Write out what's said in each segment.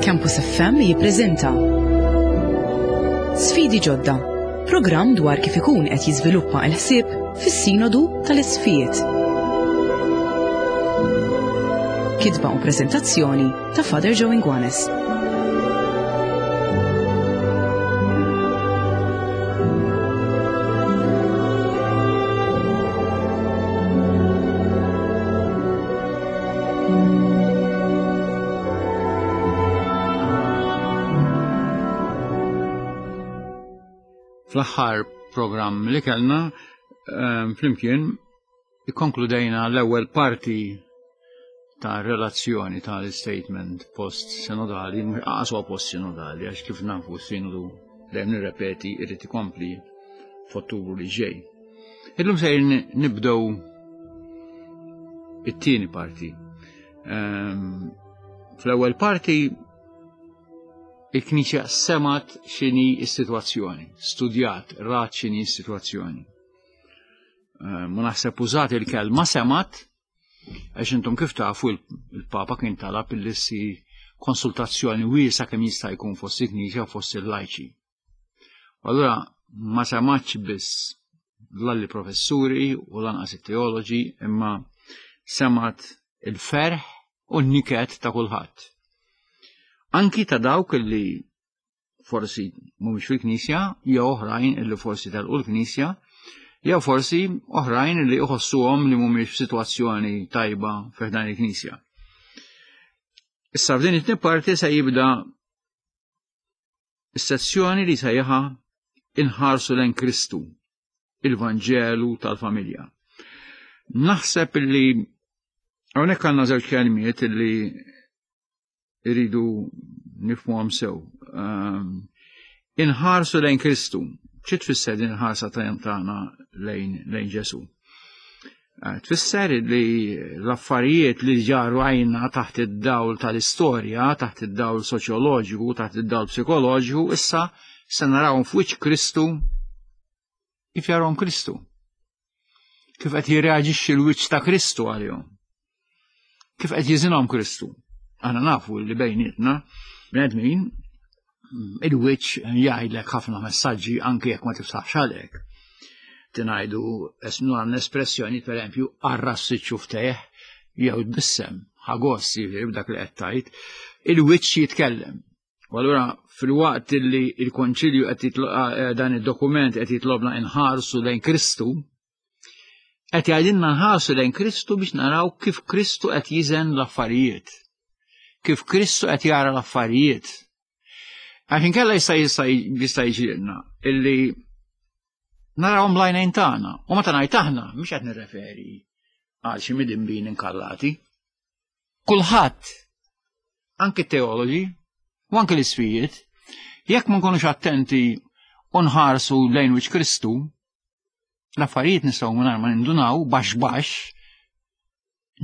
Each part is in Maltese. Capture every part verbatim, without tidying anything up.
Campus F M jippreżenta Sfidi Ġodda, programm dwar kif ikun qed jiżviluppa l-ħsieb fis-Sinodu tal-Isqfijiet. Kitba u preżentazzjoni ta' Father Joe Inguanes. Fl-aħħar programm li kellna, ehm, flimkien ikkonkludejna l-ewwel parti ta' relazzjoni tal-statement post-sinodali, mhux qas huwa post-sinodali, għax kif nafu s-sinodu dejjem nirrepeti irid ikompli f'Ottubru li ġej. Illum se nibdew it-tieni parti. Ehm, fl-ewwel parti il-Knisja semat x'inhi s-sitwazzjoni, studjat, rat x'inhi s-sitwazzjoni. Ehm, ma naħseb użat il-kelma semat, għax intom kif tafu il-Papa kien talab illi ssir konsultazzjoni wiesa' kemm jista' jkun fost il-Knisja u fost il-lajċi. Allura ma sematx biss l-alli professuri u lanqas it-teoloġi, imma semat il-ferħ u n-niket ta' kulħadd. Anki ta' dawk li forsi mhumiex fil-Knisja, jew oħrajn li forsi telqu l-Knisja, jew forsi oħrajn li jħossuhom li mhumiex f'sitwazzjoni tajba fi ħdan il-Knisja. Issa f'din it-tieni parti se jibda is-sezzjoni li sejjaħa Inħarsu lejn Kristu, il-Vanġelu tal-familja. Naħseb li hawnhekk għandna żewġ kelmiet li iridu nifhmuhom sew. Ehm, inħarsu lejn Kristu. Xi tfisser din il-ħarsa tagħna lejn, lejn Ġesù? Eh, tfisser li l-affarijiet li ġaru għajna taħt id-dawl tal-istorja, taħt id-dawl soċjoloġiku, taħt id-dawl psikoloġiku, issa se narawhom f'wiċċ Kristu kif jarahom Kristu. Kif qed jirreaġixxi l-wiċċ ta' Kristu għalihom. Kif qed jiżinhom Kristu. Aħna nafu li bejnietna bnedmin il-wiċċ jgħidlek ħafna messaġġi anke jekk ma tiftaħx għalek. Tingħidu esnu għandna espressjoni pereżempju arras iċ-ċuftejh jew tbissem, ħagoss jiġifieri b'dak li qed tgħid, il-wiċċ jitkellem. U allura fil-waqt li l-Konċilju qed jitlo-, eh, dan id-dokument qed jitlobna inħarsu lejn Kristu, qed jgħidilna nħarsu lejn Kristu biex naraw kif Kristu qed jiżen l-affarijiet. Kif Kristu qed jara l-affarijiet. Għax inkella jista' jista' jista' jiġrilna illi narawhom bl-għajnejn tagħna. U meta ngħid aħna mhux qed nirreferi għal xi midinbin inkallati. Kulħadd, anke t-teoloġi u anke l-isfijiet, jekk ma nkunux attenti u nħarsu lejn wiċċ Kristu, l-affarijiet nistgħu mingħajr ma nindunaw baxx baxx,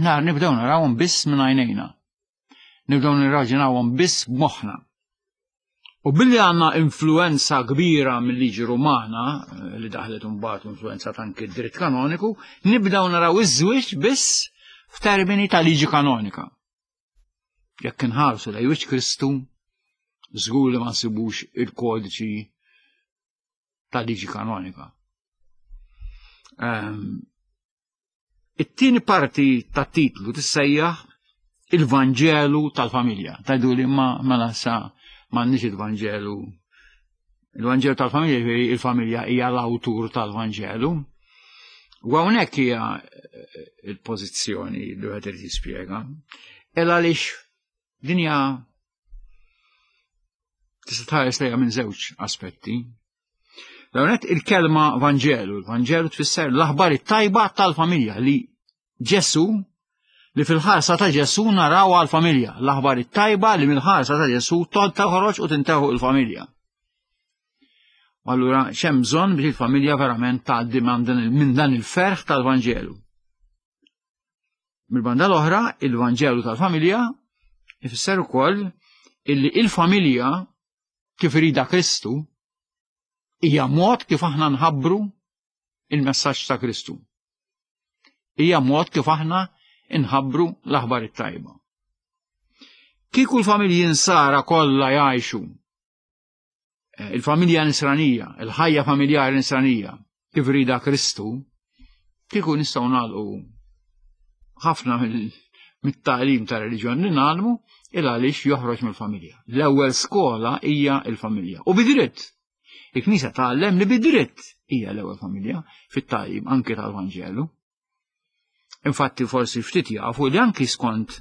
nar nibdew narawhom biss minn għajnejna. Nibdew nirraġunawhom biss b'moħħna. U billi għandna influenza kbira mill-liġi Rumana, eh, li daħlet imbagħad influenza anke d-dritt kanoniku, nibdew naraw iż-żwieġ biss f'termini ta' liġi kanonika. Jekk inħarsu lejn wiċċ Kristu, żgur li ma nsibux il-kodiċi ta' liġi kanonika. Ehm, it-tieni parti tat-titlu tissejjaħ il-Vanġelu tal-familja. Tajdu li ma mela sa m'għandniex il-Vanġelu. Il-Vanġelu tal-familja, jiġifieri il-familja hija l-awtur tal-Vanġelu. U hawnhekk hija il-pożizzjoni li wieħed irid jispjega. El għaliex din hija tista' tħares lejha minn żewġ aspetti. L-ewwel il-kelma Vanġelu, il-Vanġelu tfisser l-aħbar it-tajba tal-familja li Ġesu, li fil-ħarsa ta' Ġesu naraw għal-familja, l-aħbar it-tajba li mill-ħarsa ta' Ġesu toħroġ u tinteħu il-familja. U allura x'hemm bżonn biex il-familja verament tgħaddi minn dan il-ferħ tal-Vanġelu. Mill-banda l-oħra, il-Vanġelu tal-familja ifisser ukoll illi il-familja kif irida Kristu hija mod kif aħna nħabbru il-messaġġ ta' Kristu. Hija mod kif aħna nħabbru l-aħbar it-tajba. Kieku l-familji nsara kollha jgħixu eh, il-familja nisranija, il-ħajja familjari nisranija, kif rida Kristu, kieku nistgħu nagħlqu ħafna mit-tagħlim ta' reliġjon li nagħlmu il għaliex joħroġ mill-familja. L-ewwel skola hija l-familja. U bidritt. Il-Knisja tgħallem li bidritt hija l-ewwel familja fit-tagħlim anke tal-Vanġelu. Infatti forsi ftit jafu li anki skont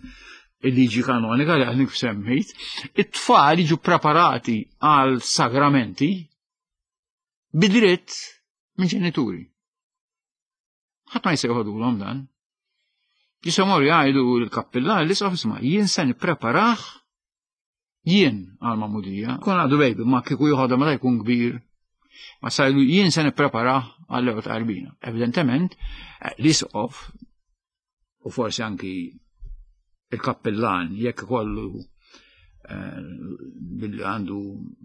il-liġi kanonika li għadni semmejt, it-tfal jiġu preparati għal sagramenti bidritt minn ġenituri. Ħadd ma jsejħodulhom dan. Jistgħu morru jgħidu l-kappillan li isma' jien se nippreparah jien għal magħmudija. Kun għadu baby, ma kieku joħodha meta jkun kbir. Ma sajlu jien se nippreparah għall ewwel tqarbina. Evidentement, l-isqof u forsi anki il-kappillan jekk ikollu eh, billi għandu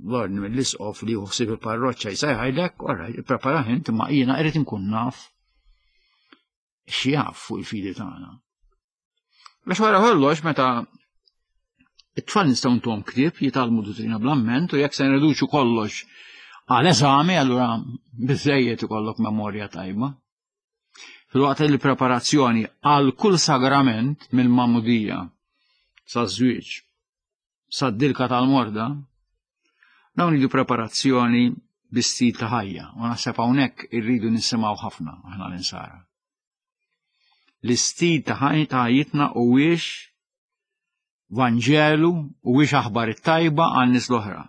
l-ordni mill-isqof li juħsib il-parroċċa jsejħajlek, orra, ippreparah int ma jiena irrid inkun naf x'jaf fuq il-fidi tagħna. Biex wara kollox meta it-tfal nistgħu ntuhom ktieb jitgħallmu duttrina bl-amment u jekk se nreduċu kollox għal eżami allura biżejjed ikollok memorja tajba. Filwaqt li preparazzjoni għal kull sagrament mill-magħmudija sa żwieġ sa dilka tal-morda, dawn iridu preparazzjoni bi stil ta' ħajja u naħseb hawnhekk irridu nisimgħu ħafna aħna l-insara. L-istil ta' ħajjitna huwiex Vanġelu huwiex aħbar it-tajba għan-nies l-oħra.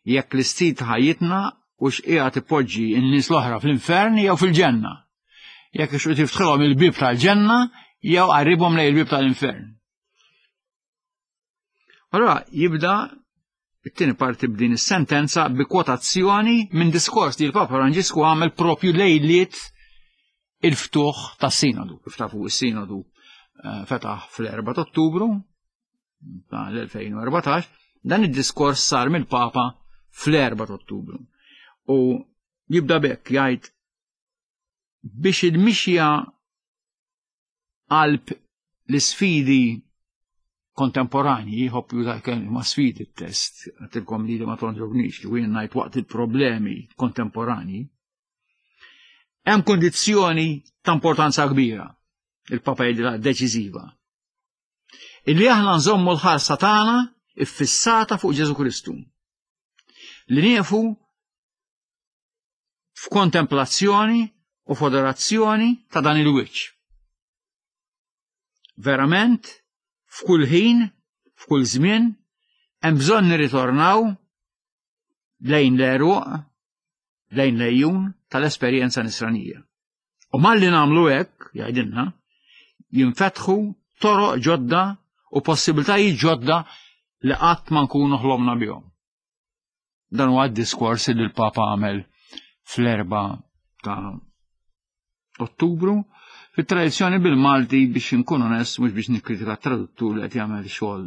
Jekk l-istil ta' ħajjitna hux qiegħed ipoġġi n-nies l-oħra fl-infern jew fil-ġenna. Jekk ix tiftħilhom il-bib tal-ġenna jew qarribhom lejn il-bib tal-infern. Allora jibda it-tieni parti b'din is-sentenza bi kwotazzjoni minn diskors li l-Papa Franġisku għamel propju lejliet il-ftuħ tas-sinodu. Kif tafu is-sinodu eh, fetaħ fl-erba' ta' Ottubru tal-elfejn u erbatax, dan id-diskors sar mill-Papa fl-erba' ta' Ottubru. U jibda bekk jgħid biex il-mixja qalb l-isfidi kontemporanji, jħobb juża kelma sfidi t-test, għatilkom li ma tonġobnix, li jien ngħid waqt il-problemi kontemporanji, hemm kondizzjoni ta' importanza kbira, il-Papa jgħidilha deċiżiva. Illi aħna nżommu l-ħarsa tagħna iffissata fuq Ġesu Kristu. Li nieqfu f'kontemplazzjoni u f'adorazzjoni ta' dan il-wiċċ. Verament, f'kull ħin, f'kull żmien, hemm bżonn nirritornaw lejn l-għeruq, lejn l-għejun tal-esperjenza nisranija. U malli nagħmlu hekk, jgħidilna, jinfetħu toroq ġodda u possibiltajiet ġodda li qatt ma nkunu ħlomna bihom. Dan huwa d-diskors li l-Papa għamel fl-erba' ta' Ottubru. Fit-tradizzjoni bil-Malti, biex nkun onest, mhux biex nikkritika t-traduttur li qed jagħmel xogħol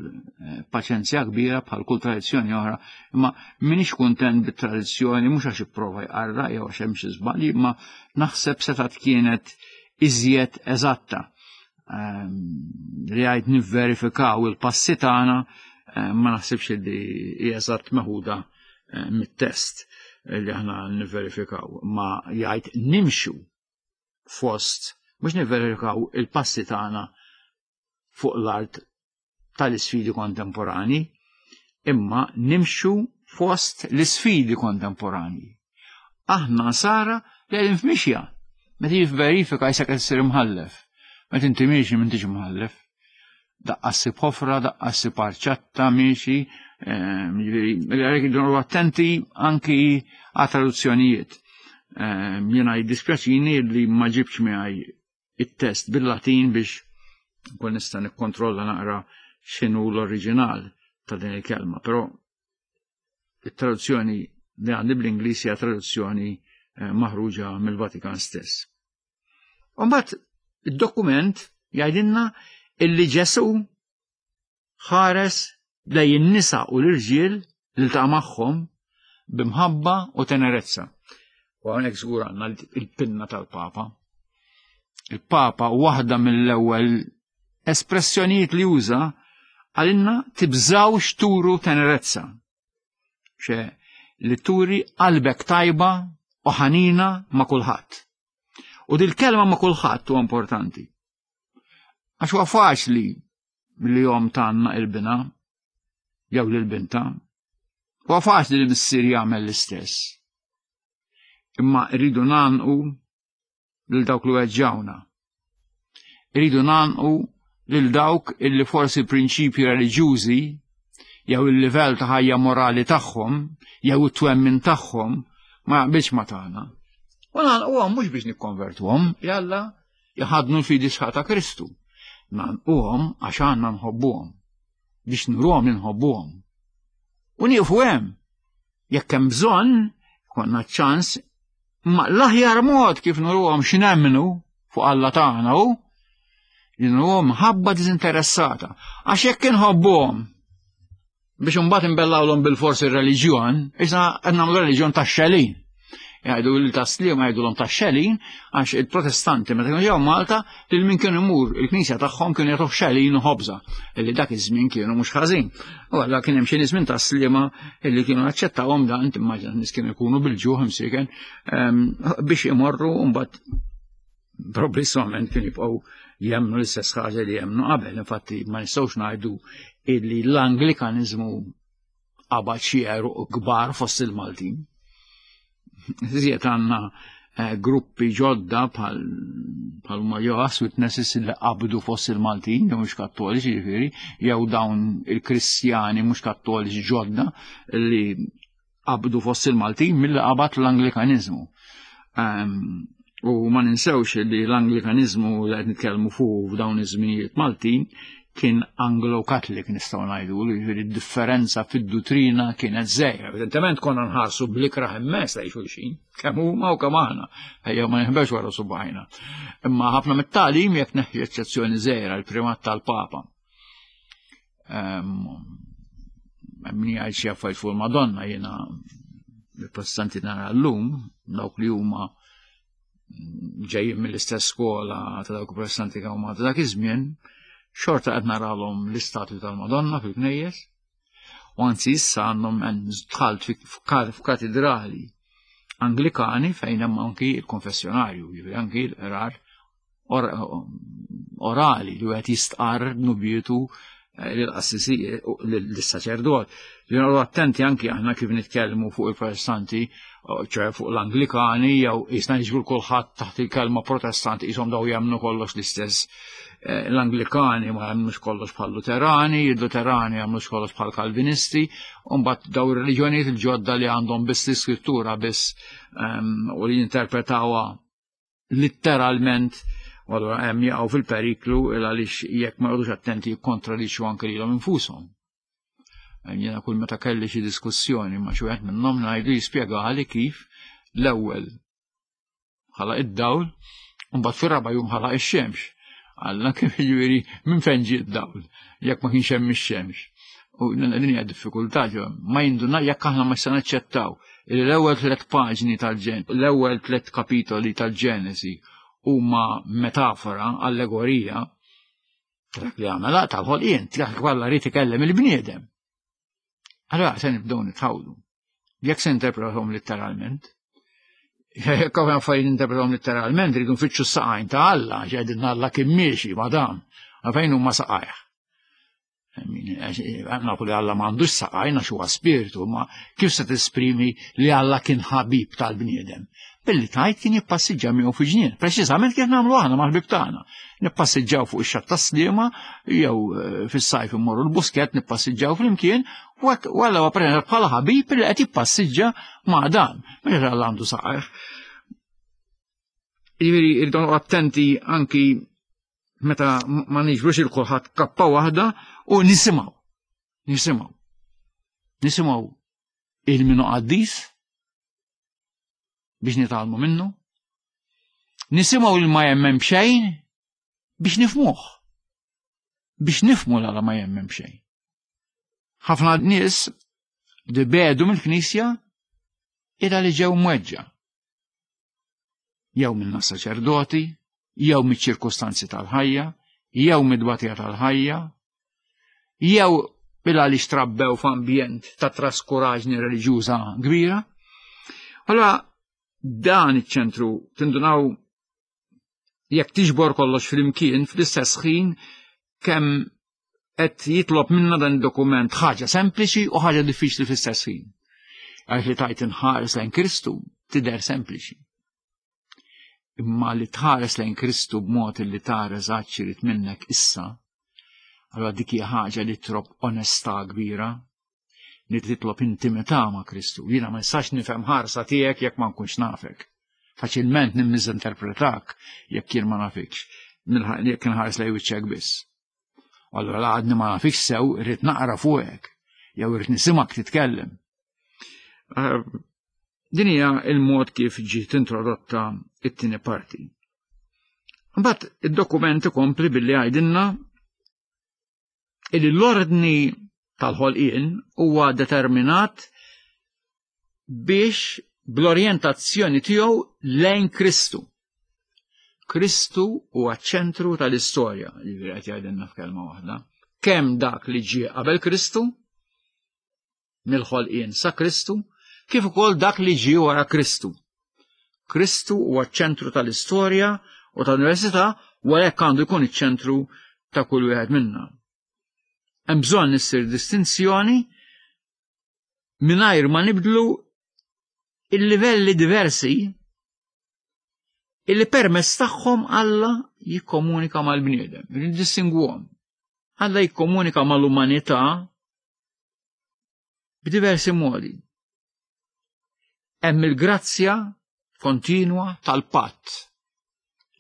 paċenzja kbira bħal kull tradizzjoni oħra, imma m'iniex kuntent bit-tradizzjoni mhux għax ipprova jqarra jew għax hemm xi żbalji, imma naħseb setgħet kienet iżjed eżatta. Li għajt nivverifikaw il-passi tagħna ma naħsibx li hija eżatt meħuda mit-test li aħna nivverifikaw, ma jgħid nimxu fost mhux nivverifikaw il-passi tagħna fuq l-art tal-isfidi kontemporani, imma nimxu fost l-isfidi kontemporani. Aħna sara li qegħdin f'mixja. Meta jivverifika jisek qed issir imħallef. Meta inti miexi m'intix imħallef. Daqqa ssib ħofra, daqqa ssib arċatta miexi, jiġifieri għalhekk irridu attenti anki għat traduzzjonijiet. Jiena jiddispjaċini li ma ġibx miegħi it-test bil-Latin biex nkun nista' nikkontrolla naqra x'inhu l-oriġinal ta' din il-kelma, però it-traduzzjoni li għandi bl-Ingliż hija traduzzjoni maħruġa mill-Vatikan stess. U mbagħad id-dokument jgħidilna illi Ġesu ħares lejn in-nisa u l-irġiel li ltaqa' magħhom b'imħabba u tenerezza. U hawnhekk żgur għandna il-pinna tal-Papa. Il-Papa waħda mill-ewwel espressjonijiet li juża Għalinna tibżawx turu tenerezza. Xe li turi qalbek tajba u ħanina ma' kulħadd. U dil-kelma ma' kulħadd huwa importanti. Għax huwa faċli li jom tanna il-bina jew lil binta. Huwa faċli li missier jagħmel l-istess. Imma rridu nanqu lil dawk li weġġawna. Irridu nanqu lil dawk illi forsi prinċipji reliġjużi jew il-livell ta' ħajja morali tagħhom jew it-twemmin tagħhom ma jaqbilx ma tagħna. U nagħlquhom mhux biex nikkonvertuhom, jalla jħadnu l-fidi sħaħ ta' Kristu. Nagħlquhom għax għandna nħobbuhom biex nuruhom li nħobbuhom. U nieqfu hemm. Jekk hemm bżonn, konna ċans, ma l-aħjar mod kif nuruhom x'nemmnu fuq Alla tagħna hu li nuruhom mħabba diżinteressata. Għax jekk inħobbuhom biex imbagħad imbellawlhom bil-forsi r-reliġjon, issa qed nagħmlu reliġjon tax-xelin. Jgħidu li tas-Sliema jgħidulhom tax-xelin għax il-Protestanti meta kienu ġew Malta lil min kienu imur il-knisja tagħhom kienu jagħtuh xelin u ħobża illi dak iż-żmien kienu mhux ħażin. U allura kien hemm xi nies minn tas-Sliema illi kienu aċċettawhom dan, timmaġina nies kienu jkunu bil-ġuħ imsieken ehm, biex imorru mbagħad progressivament kienu jibqgħu jemmnu l-istess ħaġa li jemmnu qabel. Infatti ma nistgħux ngħidu illi l-Anglikanizmu qabad xi għeruq kbar fost il-Maltin. Iżjed għandna eh, gruppi ġodda bħal bħal ma Jehovah's Witnesses li qabdu fost il-Maltin, jew mhux kattoliċi ġifieri, jew dawn il-Kristjani mhux kattoliċi ġodda li qabdu fost il-Maltin milli qabad l-Anglikanizmu. Um, u ma ninsewx li l-Anglikanizmu li qed nitkellmu fuq f'dawn iż-żminijiet Maltin kien Anglo-Catholic nistgħu ngħidu, jiġifieri d-differenza fid-duttrina kienet żgħira. Evidentement konna nħarsu bl-ikrah immens lejn xulxin, kemm huma u kemm aħna, ejjew ma nħbex wara subgħajna. Imma ħafna mit-tagħlim jekk neħi eċċezzjoni żgħira l-primat tal-Papa. Min jgħid xi affarijiet fuq il-Madonna jiena il-Protestanti nara llum dawk li huma ġejjin mill-istess skola ta' dawk il-Protestanti kemm huma ta' dak iż-żmien, xorta qed naralhom l-istatwi tal-Madonna fil-knejjes, u anzi issa għandhom dħalt f'katedrali Anglikani fejn hemm anki l-konfessjonarju, jiġifieri anki l-qrar orali li wieħed jistqarr dnubietu lill-qassisi lis-saċerdot. Li attenti anki aħna kif nitkellmu fuq il-Protestanti, ċe fuq l-Anglikani, jew jisna niġbru kulħadd taħt il-kelma Protestanti qishom daw jemmnu kollox l-istess. L-Anglikani ma jemmnux kollox bħal Luterani, il-Luterani jemmnux kollox bħal Kalvinisti, u mbagħad daw ir-reliġjonijiet il-ġodda li għandhom biss l-iskrittura biss u li jinterpretawha litteralment, u allura hemm jaqgħu fil-periklu għaliex jekk ma jqogħdux attenti jikkontradixxu anke lilhom infushom. Jiena kull meta kelli xi diskussjoni ma' xi wieħed minnhom ngħidu jispjegali kif l-ewwel ħalaq id-dawl u mbagħad fir-raba' jum ħalaq ix-xemx. Alla kif jiġifieri minn fejn ġie d-dawl jekk ma kienx hemm ix-xemx. U din hija diffikultà ġo ma jinduna jekk aħna ma se naċċettaw li l-ewwel tliet paġni tal-ġen, l-ewwel tliet kapitoli tal-Ġenesi huma metafora, allegorija, dak li għamela tal-ħolqien, dak li ried ikellem il-bniedem. Allora se nibdew nitħawdu. Jekk se interpretahom letteralment, jekk hawn affarijiet interpretahom letteralment, rridu nfittxu s-saqajn ta' Alla, ġedin Alla kien miexi ma' dan, fejn huma saqajh. Nafu li Alla m'għandux saqajn għax huwa spiritu, ma kif se tesprimi li Alla kien ħabib tal-bniedem? Billi tajt kien jippassiġġa miegħu fi ġnien. Preċiżament kif nagħmlu aħna mal-ħbib tagħna. Nippassiġġaw fuq ix-xatt tas-Sliema jew fis-sajf immorru l-Buskett nippassiġġaw flimkien u Alla huwa preżentat bħala ħabib li qed jippassiġġa ma' dan. Mhux Alla għandu saqajh. Jiġifieri rridu attenti anki meta ma niġbrux il kulħadd kappa waħda u nisimgħu. Nisimgħu. Nisimgħu il-minu qaddis biex nitgħallmu minnu. Nisimgħu il ma jemmen xejn biex nifmuh. Biex nifmu l ma jemmen xejn. Ħafna nies dibedu mill-Knisja ila li ġew mweġġa. Jew minna saċerdoti, jew miċ-ċirkustanzi tal-ħajja, jew mid-dbatija tal-ħajja, Jew bil għaliex trabbew f'ambjent ta' traskuraġni reliġjuża kbira. Allora dan iċ-ċentru tindunaw jekk tiġbor kollox flimkien fl-istess ħin kemm qed jitlob minna dan id-dokument ħaġa sempliċi u ħaġa diffiċli fl-istess ħin. Għax li tajt inħares lejn Kristu tidher sempliċi. Imma li tħares lejn Kristu b'mod li tara eżatt x'irid minnek issa, allora dik hija ħaġa li titlob onestà kbira, li titlob intimità ma' Kristu. Jiena ma nistax nifhem ħarsa tiegħek jekk ma nkunx nafek. Faċilment nimmiżinterpretak jekk jien ma nafikx, jekk inħares lejn wiċċek biss. Allora la għadni ma nafikx sew, irrid naqra fuqek, jew irrid nisimgħek titkellem. Eh, din hija il-mod kif ġiet introdotta it-tieni parti. Mbagħad id-dokument ikompli billi għajdilna illi l-ordni tal-ħolqien huwa determinat biex bl-orjentazzjoni tiegħu lejn Kristu. Kristu huwa ċentru tal-istorja, li qed jgħidilna f'kelma waħda. Kemm dak li ġie qabel Kristu, mill-ħolqien sa Kristu, kif ukoll dak li ġie wara Kristu. Kristu huwa ċentru tal-istorja u tal-università u għalhekk għandu jkun iċ-ċentru ta' kull wieħed minna. Hemm bżonn issir distinzjoni mingħajr ma nibdlu il-livelli diversi illi permezz tagħhom Alla jikkomunika mal-bniedem, niddistingwhom. Alla jikkomunika mal-umanità b'diversi modi. Hemm il-grazzja kontinwa tal-patt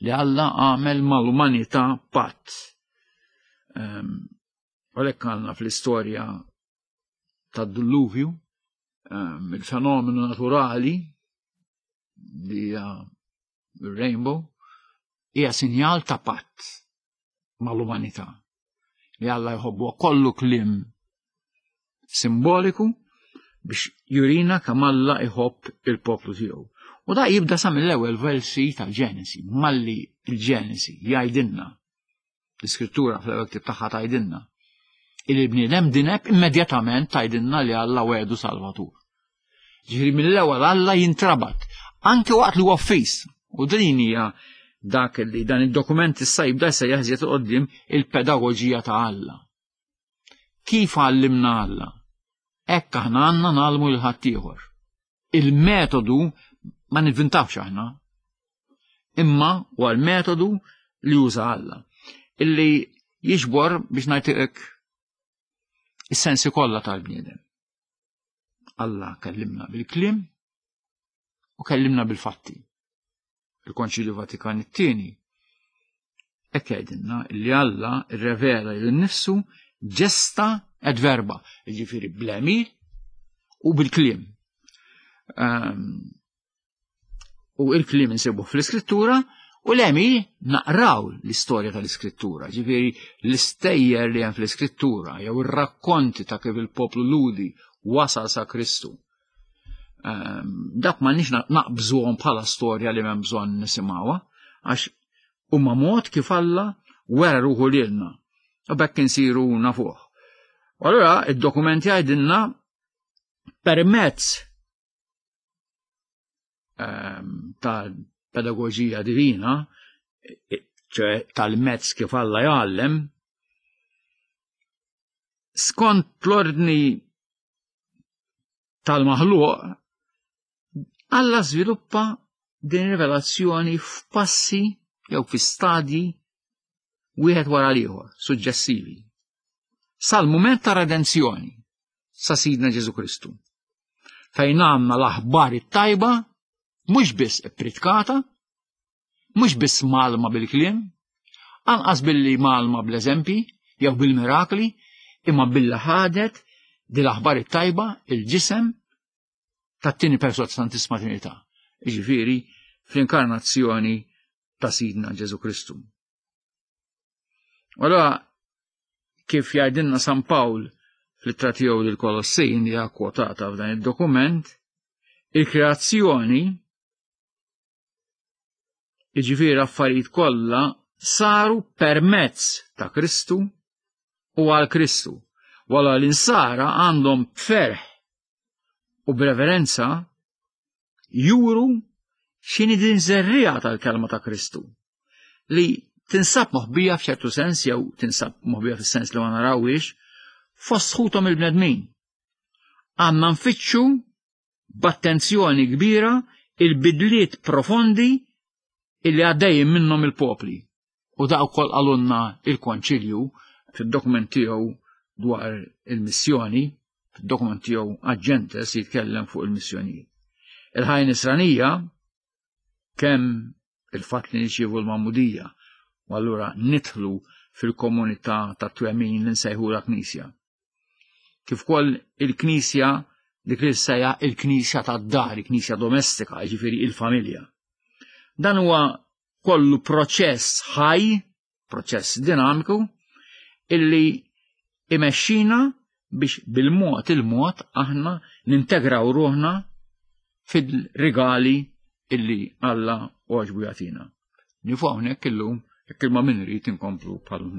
li Alla għamel mal-umanità patt. Um, Għalhekk għandna fl-istorja tad-dilluvju, um, il-fenomenu naturali li hija il-rainbow, hija sinjal ta' patt mal-umanità li Alla jħobbu kollu kliem simboliku biex jurina kemm Alla jħobb il-poplu tiegħu. U da jibda sa mill-ewwel versi tal-Ġenesi, malli il-Ġenesi jgħidilna, l-iskrittura fl-ewwel ktieb tagħha tgħidilna, il-bniedem dineb immedjatament tgħidilna li Alla wegħdu Salvatur. Ġifieri mill-ewwel Alla jintrabat, anke waqt li huwa fis. U din hija dak li dan id-dokument issa jibda jsejjaħ iżjed qoddim il-pedagoġija ta' Alla. Kif għallimna Alla? Hekk aħna għandna ngħallmu lil ħaddieħor. Il-metodu ma nivvintawx aħna, imma huwa l-metodu li juża Alla. Illi jiġbor biex ngħidlek is-sensi kollha tal-bniedem. Alla kellimna bil-kliem u kellimna bil-fatti. Il-Konċilju Vatikan it-tieni hekk jgħidilna li Alla rrevela lil nifsu gesta et verba, jiġifieri bl-għemil u bil-kliem. Um, u il-kliem insibu fl-iskrittura u l-għemil naqraw l-istorja tal-iskrittura, ġifieri l-istejjer li hemm fl-iskrittura jew ir-rakkonti ta' kif il-poplu Lhudi wasal sa' Kristu. Um, dak ma nix naqbżuhom bħala storja li m'hemm bżonn nisimgħuha, għax huma mod kif Alla wera ruħu lilna u bekk insiru nafuh. U allura id-dokument jgħidilna permezz um, ta' pedagoġija divina, ċe tal-mezz kif Alla jgħallem, skont l-ordni tal-maħluq, Alla żviluppa din rivelazzjoni f'passi jew fi stadji wieħed wara l-ieħor, suġġessivi. Sal-mument ta' redenzjoni sa' Sidna Ġesu Kristu. Fejn għandna l-aħbar it-tajba mhux biss ippritkata, mhux biss mgħallma bil-kliem, anqas billi mgħallma bl-eżempji jew bil-mirakli, imma billi ħadet din l-aħbar it-tajba il-ġisem tat-tieni persuna Santissima Trinità. Jiġifieri fl-inkarnazzjoni ta' Sidna Ġesu Kristu. Allora, kif jgħidilna San Pawl fl-ittra tiegħu lill-Kolossin li hija kwotata f'dan id-dokument, il-kreazzjoni jiġifieri affarijiet kollha saru permezz ta' Kristu u għal Kristu. Wala l-insara għandhom b'ferħ u b'reverenza juru x'inhi din żerriegħa tal-kelma ta' Kristu li tinsab moħbija f'ċertu sens jew tinsab moħbija fis-sens li ma narawhiex fost ħuthom il-bnedmin. Għandna nfittxu b'attenzjoni kbira il-bidliet profondi illi għaddejjin minnhom il-popli. U da wkoll qalulna il-Konċilju fid-dokument tiegħu dwar il-missjoni, fid-dokument tiegħu Ad Gentes jitkellem fuq il-missjonijiet. Il-ħajja nisranija kemm il-fatt li nirċievu l-magħmudija u allura nidħlu fil-komunità ta' twemmin li nsejħula Knisja. Kif ukoll il-Knisja dik li ssejjaħ il-Knisja tad-dar, il-Knisja domestika, jiġifieri il-familja. Dan huwa kollu proċess ħaj, proċess dinamiku, illi imexxina biex bil-mod il-mod aħna nintegraw ruħna fil-rigali illi Alla għoġbu jagħtina. Nieqfu hawnhekk illum, jekk il-ma min irid inkomplu bħal.